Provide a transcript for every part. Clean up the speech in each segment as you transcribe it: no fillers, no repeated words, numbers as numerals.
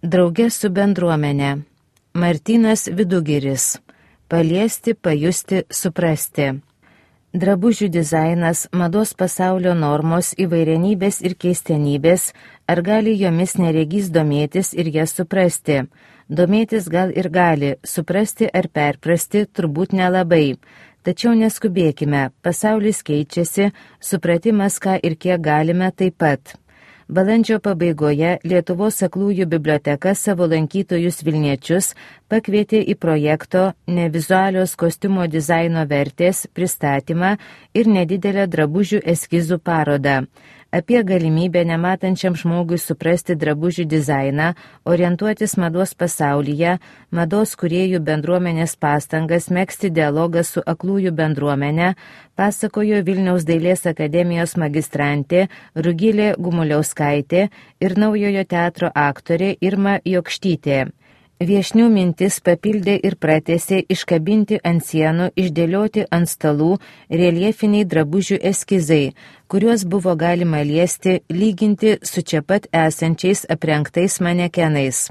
Drauge su bendruomenė. Martynas Vidugiris. Paliesti, pajusti, suprasti. Drabužių dizainas, mados pasaulio normos, įvairienybės ir keistenybės, ar gali jomis neregys domėtis ir jas suprasti? Domėtis gal ir gali, suprasti ar perprasti turbūt nelabai. Tačiau neskubėkime, pasaulis keičiasi, supratimas ką ir kiek galime taip pat. Balandžio pabaigoje Lietuvos aklųjų biblioteka savo lankytojus vilniečius pakvietė į projekto Nevizualios kostiumo dizaino vertės pristatymą ir nedidelę drabužių eskizų parodą. Apie galimybę nematančiam žmogui suprasti drabužių dizainą, orientuotis mados pasaulyje, mados kūrėjų bendruomenės pastangas megzti dialogą su aklųjų bendruomenė, pasakojo Vilniaus dailės akademijos magistrantė Rugilė Gumuliauskaitė ir Naujojo teatro aktorė Irma Jokštytė. Viešnių mintis papildė ir pratęsė iškabinti ant sienų, išdėlioti ant stalų reljefiniai drabužių eskizai, kuriuos buvo galima liesti, lyginti su čia pat esančiais aprengtais manekenais.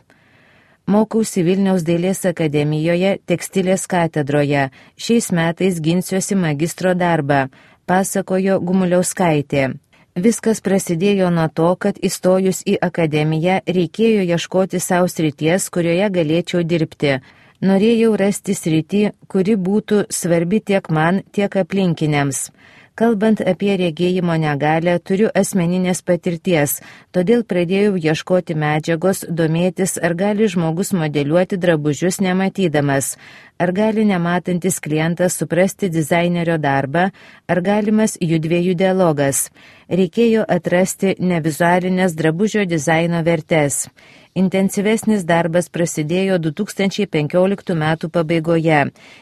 Mokausi Vilniaus dailės akademijoje tekstilės katedroje, šiais metais ginsiuosi magistro darbą, pasakojo Gumuliauskaitė. Viskas prasidėjo nuo to, kad įstojus į akademiją reikėjo ieškoti savo srities, kurioje galėčiau dirbti. Norėjau rasti sritį, kuri būtų svarbi tiek man, tiek aplinkiniams. Kalbant apie regėjimo negalią, turiu asmeninės patirties, todėl pradėjau ieškoti medžiagos, domėtis, ar gali žmogus modeliuoti drabužius nematydamas, ar gali nematantis klientas suprasti dizainerio darbą, ar galimas judviejų dialogas. Reikėjo atrasti nevizualinės drabužio dizaino vertes. Intensyvesnis darbas prasidėjo 2015 metų pabaigoje.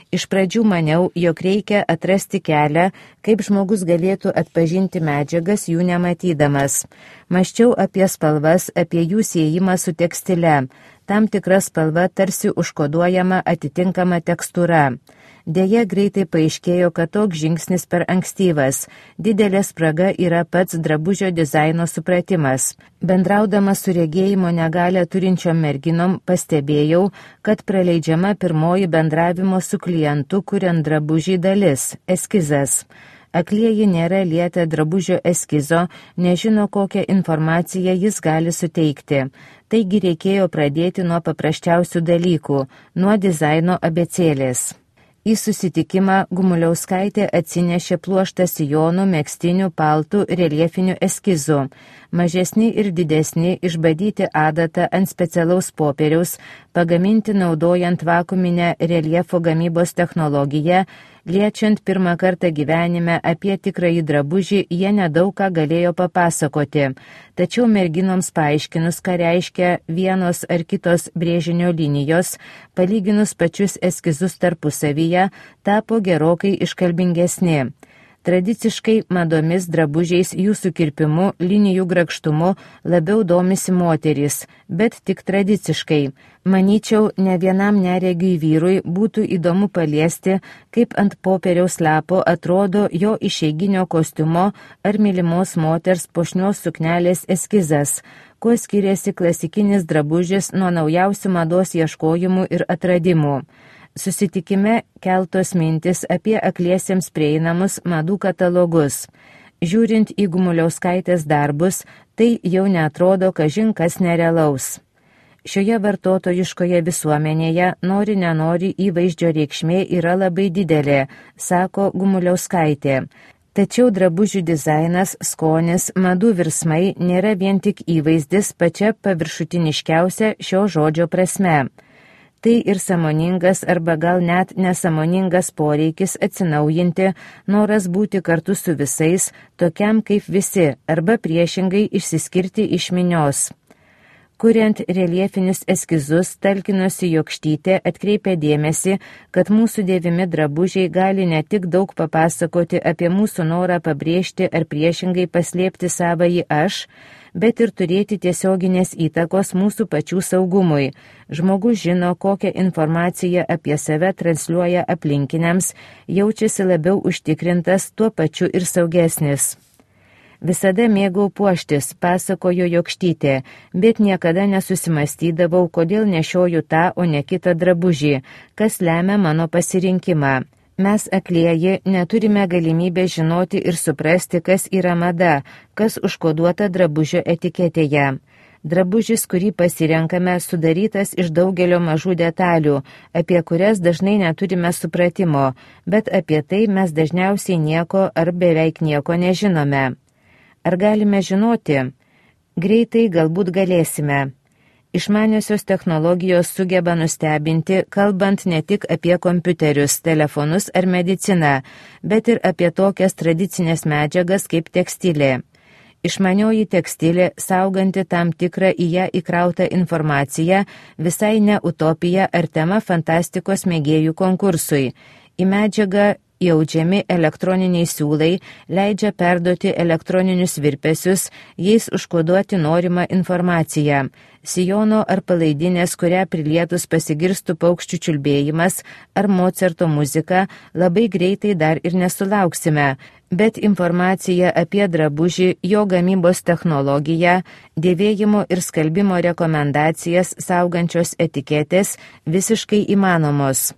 Iš pradžių maniau, jog reikia atrasti kelią, kaip žmogus galėtų atpažinti medžiagas jų nematydamas. Mąsčiau apie spalvas, apie jų siejimą su tekstile. Tam tikra spalva tarsi užkoduojama atitinkama tekstūra. Deja, greitai paaiškėjo, kad toks žingsnis per ankstyvas. Didelė spraga yra pats drabužio dizaino supratimas. Bendraudama su regėjimo negalią turinčiom merginom pastebėjau, kad praleidžiama pirmoji bendravimo su klientu, kuriant drabužį dalis – eskizas. Aklieji nėra lietę drabužio eskizo, nežino, kokią informaciją jis gali suteikti. Taigi reikėjo pradėti nuo paprasčiausių dalykų – nuo dizaino abėcėlės. Į susitikimą Gumuliauskaitė atsinešė pluoštą sijonų, megztinių, paltų, reljefinių eskizų. Mažesni ir didesni išbadyti adatą ant specialaus popieriaus, pagaminti naudojant vakuuminę reljefo gamybos technologiją, liečiant pirmą kartą gyvenime apie tikrąjį drabužį, jie nedaug ką galėjo papasakoti. Tačiau merginoms paaiškinus, ką reiškia vienos ar kitos brėžinio linijos, palyginus pačius eskizus tarpusavyje, tapo gerokai iškalbingesni. Tradiciškai madomis, drabužiais, jų sukirpimu, linijų grakštumu labiau domisi moterys, bet tik tradiciškai. Manyčiau, ne vienam neregiui vyrui būtų įdomu paliesti, kaip ant popieriaus lapo atrodo jo išeiginio kostiumo ar mylimos moters puošnios suknelės eskizas, kuo skiriasi klasikinis drabužis nuo naujausių mados ieškojimų ir atradimų. Susitikime keltos mintis apie akliesiems prieinamus madų katalogus. Žiūrint į Gumuliauskaitės darbus, tai jau neatrodo kažin kas nerealaus. Šioje vartotojiškoje visuomenėje nori nenori įvaizdžio reikšmė yra labai didelė, sako Gumuliauskaitė. Tačiau drabužių dizainas, skonis, madų virsmai nėra vien tik įvaizdis pačia paviršutiniškiausia šio žodžio prasme. Tai ir sąmoningas arba gal net nesąmoningas poreikis atsinaujinti, noras būti kartu su visais, tokiam kaip visi, arba priešingai išsiskirti iš minios. Kuriant reljefinius eskizus, talkinosi Jokštytė atkreipė dėmesį, kad mūsų dėvimi drabužiai gali ne tik daug papasakoti apie mūsų norą pabrėžti ar priešingai paslėpti savąjį aš, bet ir turėti tiesioginės įtakos mūsų pačių saugumui. Žmogus žino, kokią informaciją apie save transliuoja aplinkiniams, jaučiasi labiau užtikrintas, tuo pačiu ir saugesnis. Visada mėgau puoštis, pasakojo Jokštytė, bet niekada nesusimastydavau, kodėl nešioju tą, o ne kitą drabužį, kas lemia mano pasirinkimą. Mes aklieji neturime galimybę žinoti ir suprasti, kas yra mada, kas užkoduota drabužio etiketėje. Drabužis, kurį pasirenkame, sudarytas iš daugelio mažų detalių, apie kurias dažnai neturime supratimo, bet apie tai mes dažniausiai nieko ar beveik nieko nežinome. Ar galime žinoti? Greitai galbūt galėsime. Išmaniosios technologijos sugeba nustebinti, kalbant ne tik apie kompiuterius, telefonus ar mediciną, bet ir apie tokias tradicinės medžiagas kaip tekstilė. Išmanioji tekstilė, sauganti tam tikrą į ją įkrautą informaciją, visai ne utopija ar tema fantastikos mėgėjų konkursui. Į medžiagą įaudžiami elektroniniai siūlai leidžia perduoti elektroninius virpesius, jais užkoduoti norimą informaciją. Sijono ar palaidinės, kurią prilietus pasigirstų paukščių čiulbėjimas ar Mocarto muzika, labai greitai dar ir nesulauksime, bet informacija apie drabužį, jo gamybos technologiją, dėvėjimo ir skalbimo rekomendacijas saugančios etiketės visiškai įmanomos.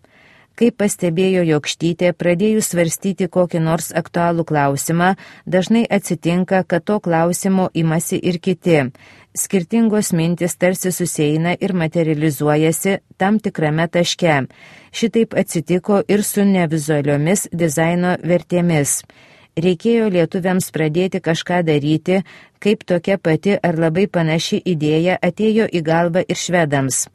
Kaip pastebėjo Jokštytė, pradėjus svarstyti kokį nors aktualų klausimą, dažnai atsitinka, kad to klausimo imasi ir kiti. Skirtingos mintis tarsi susieina ir materializuojasi tam tikrame taške. Šitaip atsitiko ir su nevizualiomis dizaino vertėmis. Reikėjo lietuviams pradėti kažką daryti, kaip tokia pati ar labai panaši idėja atėjo į galvą ir švedams.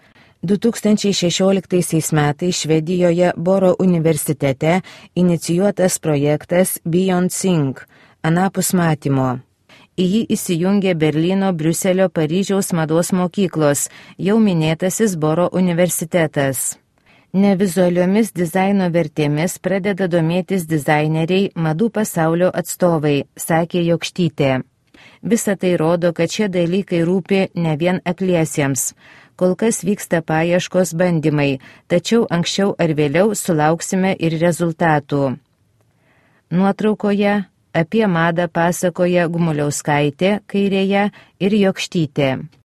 2016 metais Švedijoje Boro universitete inicijuotas projektas Beyond Think, anapus matymo. Į jį įsijungė Berlyno, Briuselio, Paryžiaus mados mokyklos, jau minėtasis Boro universitetas. Nevizualiomis dizaino vertėmis pradeda domėtis dizaineriai, madų pasaulio atstovai, sakė Jokštytė. Visa tai rodo, kad šie dalykai rūpi ne vien akliesiems. Kol kas vyksta paieškos bandymai, tačiau anksčiau ar vėliau sulauksime ir rezultatų. Nuotraukoje apie madą pasakoja Gumuliauskaitė kairėje ir Jokštytė.